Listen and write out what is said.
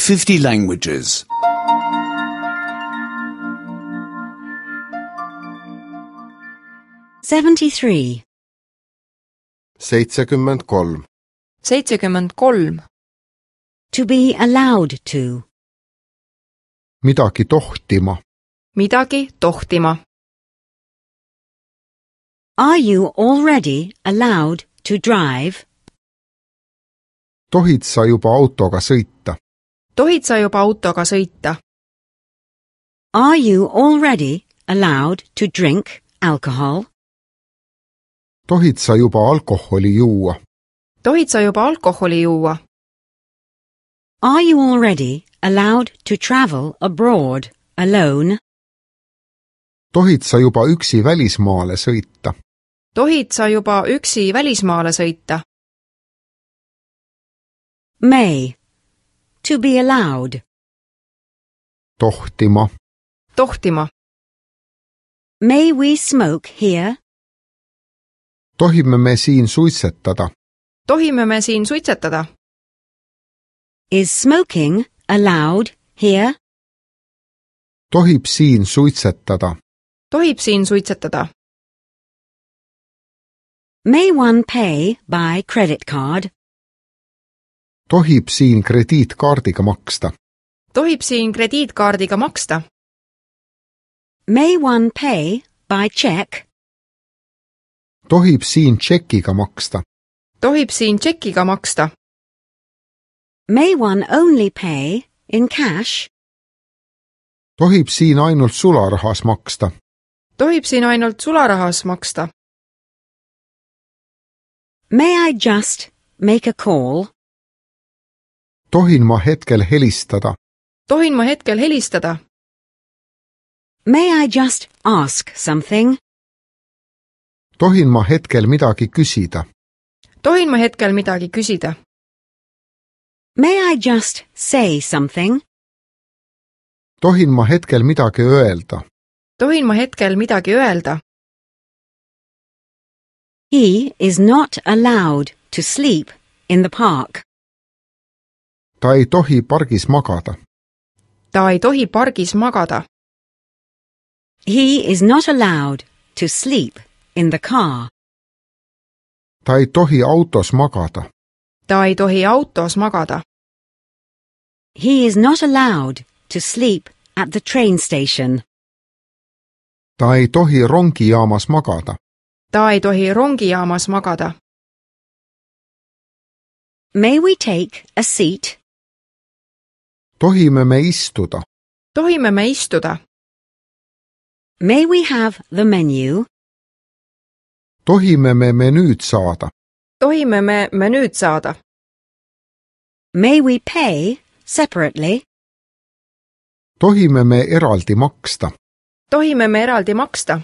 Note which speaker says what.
Speaker 1: 50 languages.
Speaker 2: 73.
Speaker 3: 73.
Speaker 4: 73.
Speaker 2: To be allowed to.
Speaker 3: Midagi tohtima.
Speaker 4: Midagi tohtima.
Speaker 2: Are you already allowed to drive?
Speaker 3: Tohid sa juba autoga sõita?
Speaker 4: Tohid sa juba autoga sõita?
Speaker 2: Are you already allowed to drink alcohol?
Speaker 3: Tohid sa juba alkoholi juua?
Speaker 4: Tohid sa juba alkoholi juua?
Speaker 2: Are you already allowed to travel abroad alone?
Speaker 3: Tohid sa juba üksi välismaale sõita?
Speaker 4: Tohid sa juba üksi välismaale sõita?
Speaker 2: May. To be allowed.
Speaker 3: Tohtima.
Speaker 4: Tohtima.
Speaker 2: May we smoke here?
Speaker 3: Tohime me siin suitsetada?
Speaker 4: Tohime me siin suitsetada?
Speaker 2: Is smoking allowed here?
Speaker 3: Tohib siin suitsetada?
Speaker 4: Tohib siin suitsetada?
Speaker 2: May one pay by credit card?
Speaker 3: Tohib siin krediitkaardiga maksta?
Speaker 4: Tohib siin krediitkaardiga maksta?
Speaker 2: May one pay by check?
Speaker 3: Tohib siin tšekiga maksta?
Speaker 4: Tohib siin tšekiga maksta?
Speaker 2: May one only pay in cash?
Speaker 3: Tohib siin ainult sularahas maksta?
Speaker 4: Tohib siin ainult sularahas maksta?
Speaker 2: May I just make a call?
Speaker 3: Tohin ma hetkel helistada?
Speaker 4: Tohin ma hetkel helistada?
Speaker 2: May I just ask something?
Speaker 3: Tohin ma hetkel midagi küsida?
Speaker 4: Tohin ma hetkel midagi küsida?
Speaker 2: May I just say something?
Speaker 3: Tohin ma hetkel midagi öelda?
Speaker 4: Tohin ma hetkel midagi öelda?
Speaker 2: He is not allowed to sleep in the park.
Speaker 3: Ta ei tohi pargis magada.
Speaker 4: Ta ei tohi pargis magada.
Speaker 2: He is not allowed to sleep in the car.
Speaker 3: Ta ei tohi autos magada.
Speaker 4: Ta ei tohi autos magada.
Speaker 2: He is not allowed to sleep at the train station.
Speaker 3: Ta ei tohi rongijaamas magada.
Speaker 4: Ta ei tohi rongijaamas magada.
Speaker 2: May we take a seat?
Speaker 3: Tohime me istuda?
Speaker 4: Tohime me istuda?
Speaker 2: May we have the menu?
Speaker 3: Tohime me menüüd saada?
Speaker 4: Tohime me menüüd saada?
Speaker 2: May we pay separately?
Speaker 3: Tohime me eraldi maksta?
Speaker 4: Tohime me eraldi maksta?